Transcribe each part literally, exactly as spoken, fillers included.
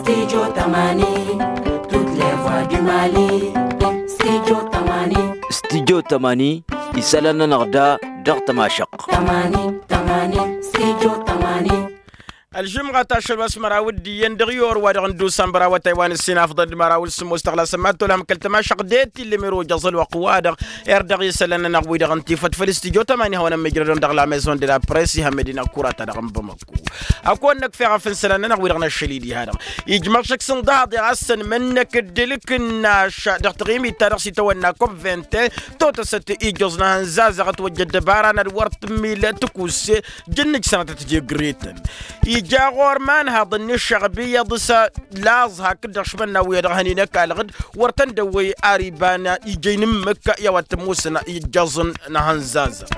Studio tămani. Tut levwa du mali. Studio tămani. Studio tămani. Isălan-nănăɣ da dăɣ-tămašăɣt. Tămani tămani. Studio tămani. Ălžumɣat ašăl wa s-măraw d-iyyăn dăɣ-i orwa dăɣ-nǝddusan bărawătay wa n-ǝssin afḍăn d-măraw d-sǝmmos tăɣlasăn mad-tolhăm kăl-tămašăɣt de-t ill'-imiro jăẓ ălwăqq-wa-dăɣ. Erdăɣ isălan-nănăɣ wi-dăɣ n-tifăt făll-studyo tămani hawăn-ămmijrădăn dăɣ-lamezon de la press ihămmădin ăkkurat-ta-dăɣ n-bamăkku. Ăkon năkf eɣăf n-isălan-nănăɣ wi-dăɣ n-ašăl-i diha-dăɣ ijmăɣ šăkk s-ǝnḍăhăḍ i-ɣas săn mănnăk dd-ǝlkǝnnaš dăɣ-taɣimit-ta-dăɣ s-itawănna kop vente. Totăsăt ijjoẓ n-ehăn zazăɣ ătwăjja ăddăbara n-ad-wăr tǝmmil tǝkusse. Jǝnnǝj sănatăt degre-tăn ija ɣur-imanhaḍăn n-ǝššăɣb iyyăḍ s-laẓ hakd-dăɣ šmănna wi-dăɣ hăn-in-ăkall ɣǝd wăr tăn-dăwwăy ar iba n-ija inǝmmǝk i-a-wa t-ămoosăn ijjăẓ n-ehăn zazăɣ.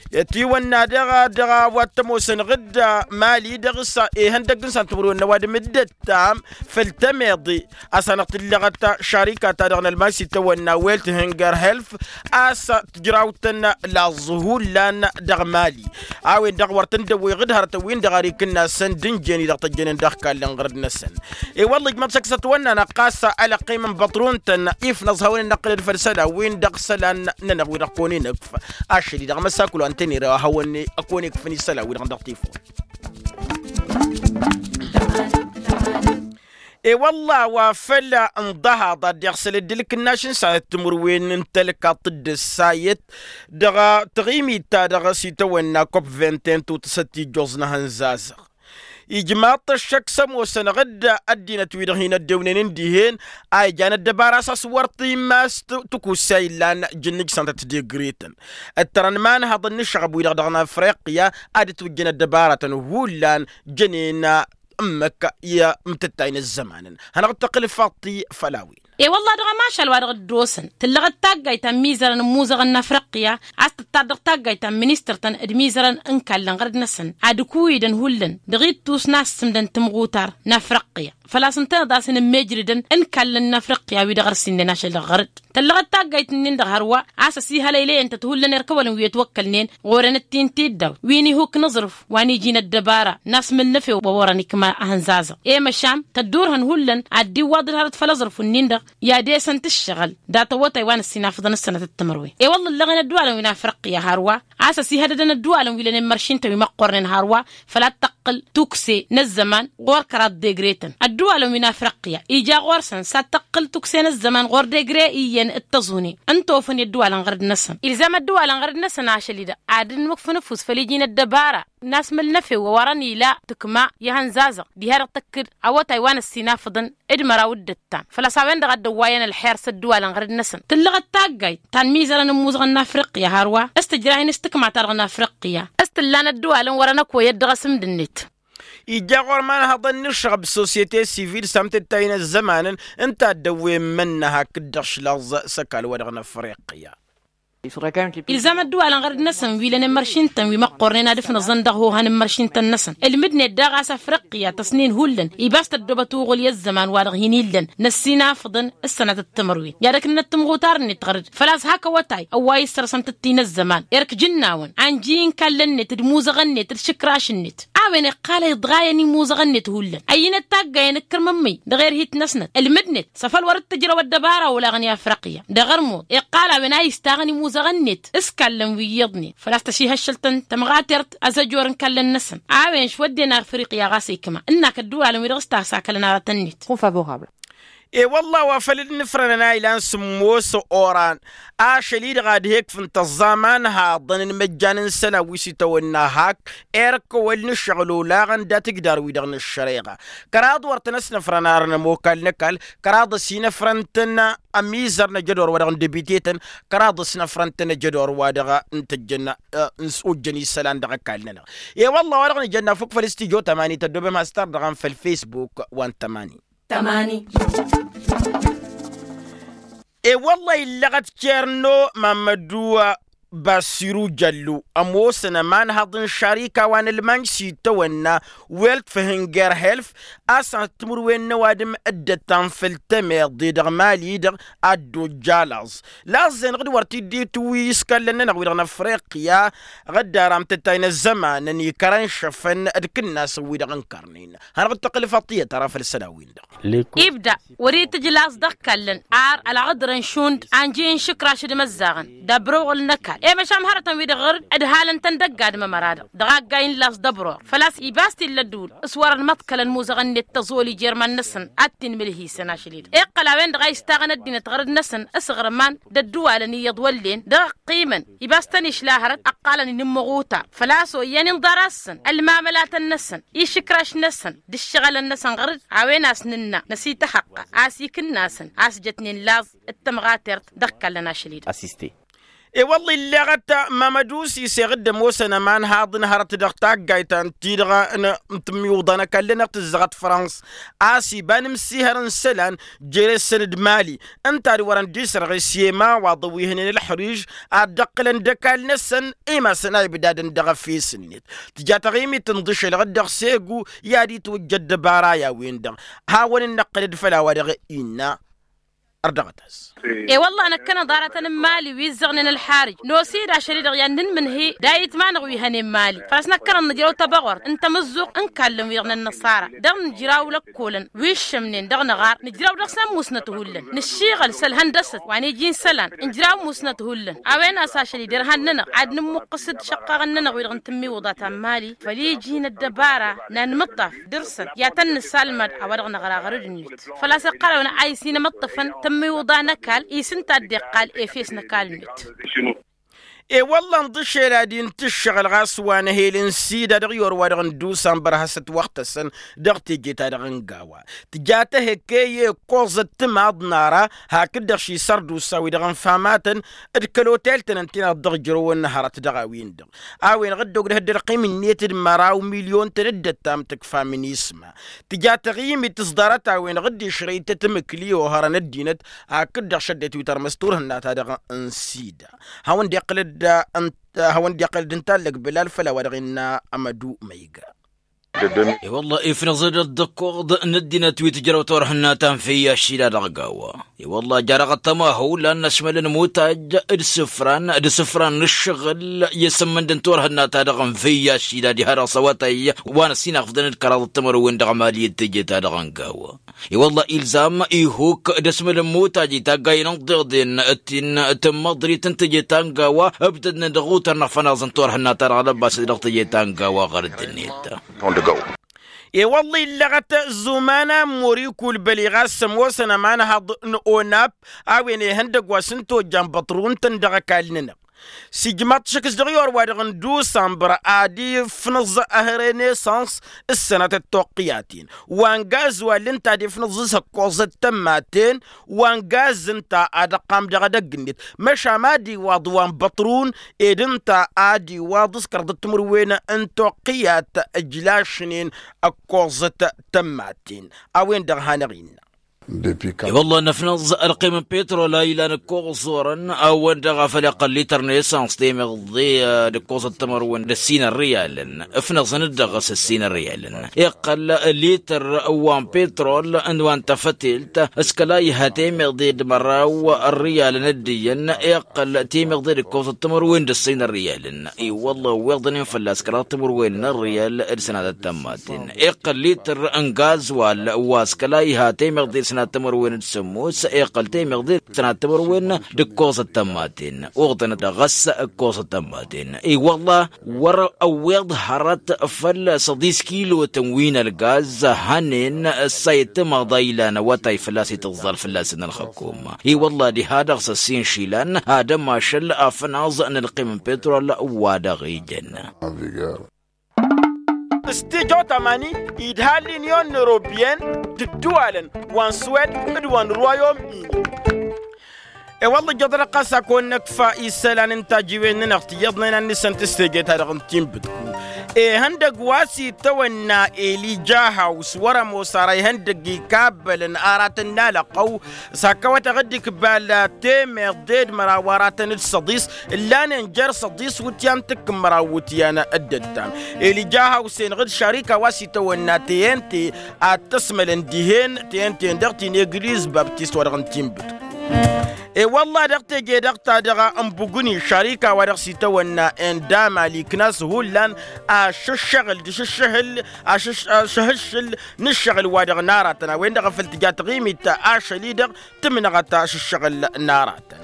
Ătiwănna dăɣ-a dăɣ-a-wa t-ămoosăn ɣǝd mali dăɣ-s ihăndăgg n-săn timǝrwen n-ăwadǝm dd-ăttam făll-temeḍe. A-s hanăɣ-tǝllăɣăt šarika-ta-dăɣ n-ălman s-itawănna welt hinger helf a-s tǝjrawt-tăn laẓ hullan dăɣ-mali. A-wen-dăɣ wăr tăn-dd-ăwwăyăɣ d-hărătăn-win-dăɣ ar ikǝnna săn d-ǝnjen-i-dăɣ tăjjănen dăɣ-ikallăn ɣărăd-năsăn. I-wălla ijmăḍ šăkk s-ătwănna năqqas alăqqim n-băṭrun-tăn ifnăẓ hawăn-in-năqqǝlăd făll-isălan-win-dăɣ isălan-nănăɣ wi-dăɣ kăwăn-in-ǝkf. Ašăl-i-dăɣ măsakul wa n-tăn-ira hawăn-i ăkăwăn-ikf n-isălan-wi-dăɣ dăɣ-tifăw. I-wălla wa făl ǝnḍăhaḍ ad-dd-iɣsăl dd-ǝlkǝnnaš n-sănatăt timǝrwen n-tălkaḍt d-ǝssayăt dăɣ-taɣimit-ta-dăɣ s-itawănna kop vente n-tutǝsăt ijjoẓ n-ehăn zazăɣ. Ijmaḍ-t ăššăk s-ămoosăn ɣǝdda ăddinăt-wi-dăɣ hin-ăddewnen n-dihen a ijan ăddăbara a-s wăr t-immas tikussa illan jǝnnǝj sănatăt degre-tăn. Ǝttărăn imanhăḍăn n-ǝššăɣăb-wi-dăɣ dăɣ-nafriqya ad-ǝtwǝjjăn ăddăbaratăn hullan jănen ǝmmǝk i-imtǝttay n-ăzzămanăn. Hanăɣ-dd-tăqqǝl faṭṭi făll-a-wen. E-wălla dăɣ-ămašal wa dăɣ-dd-osăn tǝllăɣăt taggayt ta n-imizărăn n-imuzăɣăn n-afriqya a-s tǝttad dăɣ-taggayt ta n-ministăr-tăn d-imizărăn n-ikallăn ɣărăd-năsăn ad-ǝkǝwǝydăn hullan dăɣ-ittus n-assǝmdăn timɣutar n-afriqya. Făl-a-s ǝntăneḍ a-s inǝmmejrǝdăn n-ikallăn n-afriqya wi-dăɣ ărsinnen ašăl dăɣ-ɣărăd. Tăllăɣăt taggayt-nin-dăɣ hărwa a-s ăsihălăylăyăn-tăt hullan erk ăwălăn wi ătwăkkălnen ɣur-enăt-t-in tiddawt wi n-ihuk n-aẓrǝf wa n-iji n-ăddăbara n-asmǝl n-efew wa wărăn ikma ehăn zazăɣ. I-măšan tăddurhăn hullan ad-dd-iwwaḍ d-hărăt făll-aẓrǝf-nin-dăɣ i-ad-esăn-t ǝššăɣǝl dat-awătay wa n-ǝssin afǝḍăn s-sănatăt timǝrwen. I-wălla ǝllăɣen ădduwalăn wi n-afriqya hărwa a-s ăsihădădăn ădduwalăn wi lănen măršintăn wi măqqornen hărwa făl ad-tăqqǝl tukse n-ăzzăman ɣur-kăraḍ degre-tăn. Ădduwalăn wi n-afriqya ija ɣur-săn s-ad-tăqqǝl tukse n-ăzzăman ɣur-degre iyyăn d-tăẓune n-tofăn i-ădduwalăn ɣărăd-năsăn. Ilzam ădduwalăn ɣărăd-năsăn ašăl-i-dăɣ ad-dd-inmǝkfǝn ăfuss făll-iji n-ăddăbara n-asmǝl n-efew wa wărăn ila tǝkma i-ehăn zazăɣ diha-dăɣ tăkk-dd awătay wa n-ăssinafăḍăn d-măraw d-ǝttam făl-a-s a-wen-dăɣ a dd-ăwwayăn ălxer s-ădduwalăn ɣărăd-năsăn. Tǝllăɣăt taggayt ta n-imizărăn n-imuzăɣăn n-afriqya hărwa s-tǝjrah-in s-tǝkma-ta-dăɣ n-afriqya s-tǝllan ădduwalăn wărăn ăkoyăt dăɣ-asǝmd-net. Ija ɣur-imanhăḍăn n-ǝššăɣăb sosyete sivil s-amtǝttay n-ăzzămanăn ǝnta a dd-ăwwen imănna hakd-dăɣ šlaẓ s-ăkall wa dăɣ-năfriqya. Ilzam ădduwalăn ɣărăd-năsăn wi lănen măršintăn wi măqqornen ad-ǝfnăẓăn dăɣ-ihohan n-măršintăn-năsăn ǝlmǝdnet daɣ a-s afriqya tăsnin hullan iba a-s tăddobăt uɣǝl i-ăzzăman-wa-dăɣ hin-illăn n-ăssinafăḍăn s-sănatăt timǝrwen i-ad-ăknănăt timɣutar-net ɣărăd. Făl-a-s hak awătay ăwwa issăr-săn tǝtti n-ăzzăman erk jǝnnawăn anji n-kallăn-net d-imuzăɣăn-net d-išǝkraš-net a-wen iqqal a iḍɣayăn imuzăɣăn-net hullan ăyyinăt taggayăn ǝkkărmămmăy dăɣ-erhit-năsnăt ǝlmǝdnet s-afăl wăr-dd-tǝjrăw ăddăbara olaɣăn i-afriqya. Dăɣ-ărmuḍ iqqal a-wen a istaɣăn imuzăɣăn-net s-kallăn wi iyyăḍnen făl-a-s tăšihăššăl-tăn tămɣatert ăzăjor n-kallăn-năsăn. A-wen šwădden afriqya ɣas ikma ǝnnak ădduwalăn wi dăɣ-s tasakălăn aratăn-net. I-wălla wa făl dd-nǝfrănăn a ilan sǝmmos oran ašăl-i-dăɣ ad-he-ǝkfǝn tăẓẓa imanhaḍăn n-imăjjan n-isălan wi s-itawănna hak erk kăwăl n-ǝššăɣǝl olaɣăn dat-ǝjdar-wi-dăɣ n-ăššăreɣa. Kăraḍ wăr tăn-ăsnăfrăn arăn ămokal n-ăkall kăraḍ ăsinăfrăn-tăn ămizăr n-ajădor wa dăɣ-n debite-tăn kăraḍ ăsnăfrăn-tăn ajădor wa dăɣ-n tăjjăn ojjăn isălan dăɣ-ăkall-nănăɣ. E-wălla wa dăɣ-nǝjănna fuk făll-studyo tămani tăddobem has-tardăɣăm făll-facebook wa n-tămani. Tămani. E-wălla illăɣăt kerno mammădu basiru jăllu ămoosăn ămanhăḍ n-šarika wa n-ălmañ s-itawănna welt făhǝnger helf a-s ad-timǝrwen n-ăwadǝm dd-ăttan făll-temeḍe dăɣ-mali-dăɣ ad-dd-ojja laẓ. Laẓ-en ɣǝd wăr t-dd-itwǝy s-kallăn-nănăɣ wi-dăɣ n-afriqya ɣǝddar amtăttay n-ăzzămanăn ikărăn šăfăn d-kǝnnasăn wi-dăɣ n-kărnen. Hanăɣ-dd-tăqqǝl făṭṭiyăt ara făll-isălan-win-dăɣ. Ibda wăr-itǝj laẓ dăɣ-kallăn ar ălɣădrăn šund a ǝnjǝy n-išǝkraš d-imăzzaɣăn d-abrăwɣǝl n-ăkall i-măšan hărătăn-wi-dăɣ ɣăr-dd ǝdhalăn-tăn dăgg-adǝm ămăra-dăɣ dăɣ-aggay n-laẓ d-ăbror făl-a-s ibas t-illa ădduul s-wărăn măḍkălăn imuzăɣăn-net tăẓoli jer-iman-năsăn ad-t-inmǝlhǝysăn ašăl-i-dăɣ iqqăl a-wen-dăɣ a istaɣăn ăddinăt ɣăr-dd-năsăn s-iɣrǝman d-ădduwalăn iyyăḍ wăllen dăɣ-ăqqimăn ibas-tăn išla hărăt ăqqalăn inǝmmăɣ utar făl-a-s oyyăn inḍar-asăn ălmamălatăn-năsăn išǝkraš-năsăn d-ǝššăɣǝlăn-năsăn ɣăr-dd. A-wen a-s nǝnna năsităhăqqa a-s ikǝnnasăn a-s jătnen laẓ d-tămɣatert dăɣ-kallăn ašăl-i-dăɣ. I-wălla illeɣăt mamădusis iɣǝddăm osăn ămanhaḍ n-hărăt dăɣ-taggayt ta n-ti-dăɣ n-tǝmmiwǝḍa n-ăkall-nănăɣ tǝzzăɣăt frans a-s iba n-imsihăr n-isălan jere-săn d-mali ǝnta a-dd wărăn dd-isărɣes i-emawaḍăn wi hǝnen ălxăriž ad-dd-ǝqqǝlăn d-ăkall-năsăn. Imasăn a ibdadăn dăɣ-efes-net tǝja taɣimit n-iḍǝšelăɣ-dd dăɣ-segu i-ad-itwǝjja ăddăbara i-a-wen-dăɣ hawăn-dd-năqqǝlăd făll-a-wa-dăɣ innă. Ărdăɣăt-as. I-wălla năkkăneḍ aratăn n-mali wi ǝzzăɣnen ălxarǝj nosid ašăl-i-dăɣ i-ad-nǝnmǝnhǝy d-ayǝtma-năɣ wi hănen mali făl-a-s năkkăneḍ nǝjrăw tăbăɣort n-tamǝzzuɣt n-kallăn-wi-dăɣ n-ănnăṣara dăɣ-nǝjraw lăkkolăn wi ǝššămnen dăɣ-năɣar nǝjraw dăɣ-s ămmusnăt hullan nǝššiɣăl s-ălhăndăsăt wa n-iji n-isălan nǝjraw ămmusnăt hullan. A-wen a-s ašăl-i derhan-nănăɣ ad-nǝmmuqqǝs-dd šăqqaɣăn-nănăɣ wi-dăɣ n-tǝmmiwǝḍa ta n-mali făl iji n-ăddăbara n-anmǝṭṭaf dăr-săn i-ad-tăn-nǝsalmad a-wa dăɣ-năɣra ɣărăd-net făl-a-s iqqăl a-wen a isin ămăṭṭăfăn tămmiwǝḍa n-ăkall isǝnta a dd-iqqal efes n-ăkall-net. I-wălla ǝnḍǝšel ad-intǝššăɣǝl ɣas wa n-ehel n-sida dăɣ-i orwa-dăɣ n-dusan bărhăsăt wăɣtăsăn dăɣ-teje-ta-dăɣ n-gawa tǝja tehăkke i-ǝkkoẓăt timaḍ n-ara hakd-dăɣ šisărdusa-wi-dăɣ ănfamatăn d-kăl-otel-tăn ǝnta-i-dăɣ dăɣ-ijrăwăn n-hărăt dăɣ-a-wen-dăɣ. A-wen-dăɣ dd-oggdăh dd-ălqim-net d-măraw milyon-tăn d-ăttam tǝkfa minisma tǝja taɣimit s-ḍarăt-a-wen-dăɣ dd-išrăy-t timǝkli ohărăn ăddinăt hakd-dăɣ šăddăt wi tărmăs turhǝnna-ta-dăɣ n-sida. Hawăn-dd-iqqǝlăd ǝnta hawăn-dd-iqqǝlăd ǝnta allăg bǝlal făll-a-wa dăɣ-innă ămădu ma iga. I-wălla ifnăẓ-dd ăddăkkoḍ n-ăddinăt wi tǝjrăw turhǝnna ta n-făyy ašila dăɣ-gawa. I-wălla jarăɣ ăttăma hawlan n-ašmăl n-imutaj d-isǝfran d-isǝfran n-ǝššăɣǝl i-asǝmmǝnd n-turhǝnna-ta-dăɣ n-făyy ašila diha dăɣ-s awătay wa n-ăssinăɣfdăn d-kăraḍ d-timărwen dăɣ-emali d-teje-ta-dăɣ n-gawa. I-wălla ilzam ihuk d-asmăl n-imutaj i-taggay n-ǝnḍeḍen d-tin tǝmmăḍrit n-teje ta n-gawa ǝbtădnen dăɣ-utăr n-afănaẓ n-turhǝnna-ta-dăɣ lăbbas dăɣ-teje ta n-gawa ɣărăd-net. I-wălla illăɣăt zuman ammur ikulbăl i-ɣas ămoosăn ămanhăḍ n-onap a-wen ihăndăgg wa s-ǝnta ojja n-băṭru ǝntăn dăɣ-ăkall-nănăɣ. S-ijmaḍ-t šăkk s-dăɣ-i orwa-dăɣ n-dusănbăr ad-ifnǝẓ ehăre n-esăns s-sănatăt toqqiyaten wa n-gazwal ǝnta ad-ifnǝẓ s-ǝkkoẓăt tămmaten wa n-gaz ǝnta ad-ăqqam dăɣ-edăgg-net. Măšan ad-iwaḍ wa n-băṭrun ed ǝnta ad-iwaḍ s-kăraḍăt timǝrwen n-toqqiyat ǝjlašnen ǝkkoẓăt tămmaten. A-wen-dăɣ hanăɣ-innă. I-wălla năfnăẓ ălqim n-pitrol a ilan ǝkkoẓ orăn a-wen-dăɣ a făl iqqăl lităr n-esăns temeḍe d-ǝkkoẓăt timǝrwen d-ǝssin ărriyalăn. Ǝfnăẓăn-dd dăɣ-s ǝssin ărriyalăn iqqăl lităr wa n-pitrol n-wa n-tafătelt s-kăla iha temeḍe d-măraw ărriyalăn dd-iyyăn iqqăl temeḍe d-ǝkkoẓăt timǝrwen d-ǝssin ărriyalăn. I-wălla ăwweḍăn-in fălla-s kăraḍ timǝrwen n-ărriyal d-sănatăt tămmaten. Iqqăl lităr n-gazwal wa s-kăla iha temeḍe d-sănatăt timǝrwen d-sămmos iqqăl temeḍe d-sănatăt timǝrwen d-ǝkkoẓăt tămmaten. Uɣḍăn dăɣ-s ǝkkoẓăt tămmaten i-wălla wăr-ăwweḍ hărăt făll-săḍis kilotăn wi n-ălgaz hănen. Ăssayăt timaḍa ilan awătay fălla-s itǝẓẓal fălla-săn ălxăkkum. I-wălla diha dăɣ-s ăssin išilan ad-ămašăl afănaẓ n-ălqim n-pitrol wa dăɣ-ijăn. S-tijo tamani idha l-inyon n-europyen d-ǝddǝwalăn wa n-swed d-wa n-rwayom-ini. E-wălla ǝjjăḍ-dăɣ ɣas ad-kăwăn-năkfa isălan n-tajiwen-nănăɣ tiyyăḍnen ad-nǝsǝnt s-teje-ta-dăɣ n-tinbǝtku. Ihăndăgg wa s-itawănna elija haws wăr-ămoos ara ihăndăgg ikabbălăn aratăn n-alăqqăw. S-hak awătăɣ dd-ikbal temeḍe d-măraw aratăn d-săḍis ǝllanen jer-săḍis wǝtyan tǝkkǝmmăraw wǝtyan. Dd-ăttam elija haws-enăɣ d-šarika wa s-itawănna teyente ad-t-ăsmălăn dihen teyente-en dăɣ-ti n-egliz baptist wa dăɣ-n tinbǝtku. E-wălla dăɣ-teje-dăɣ ta dăɣ-ănbugǝni šarika wa dăɣ-s itawănna, n-dama liknas hullan ašǝššăɣǝl d-ašǝššăhǝl ašǝššăhǝššǝl n-ǝššăɣǝl wa dăɣ-naratăn a-wen-dăɣ a făl tǝja taɣimit ašăl-i-dăɣ tǝmnăɣăt ašǝššăɣǝl n-aratăn.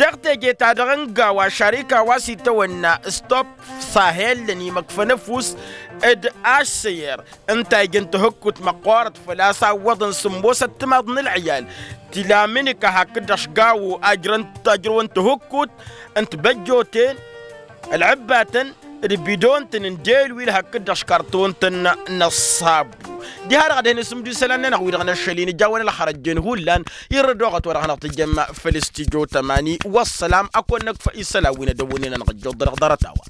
Dăɣ-teje-ta-dăɣ n-gawa šarika wa s-itawănna stop sahel n-imăkfăn ăfuss d-ašsăyăr ǝnta ijăn tihǝkkut măqqoorăt făl-a-s a ǝwwăḍăn sǝmmosăt timaḍ n-ălɣiyal. Tila amǝnǝka hakd-dăɣ s-gawo ajrăwăn tihǝkkut n-tibăjjoten ălɣǝbbatăn d-bidon-tăn n-delwil hakd-dăɣ s-karton-tăn n-ăṣṣabu. Diha-dăɣ ad-hin-isǝmdu isălan-nănăɣ wi-dăɣ n-ašăl-in ǝjawăn ălxărăt jen hullan irrăd oɣăt wa dăɣ-hanăɣ-tǝjjăm făll-s tijo tămani. Wăssălam ad-kăwăn-năkf isălan wi n-ad-ăwwǝnnen ad-năɣ-ǝjjuḍ dăɣ-ḍarăt-a-wa.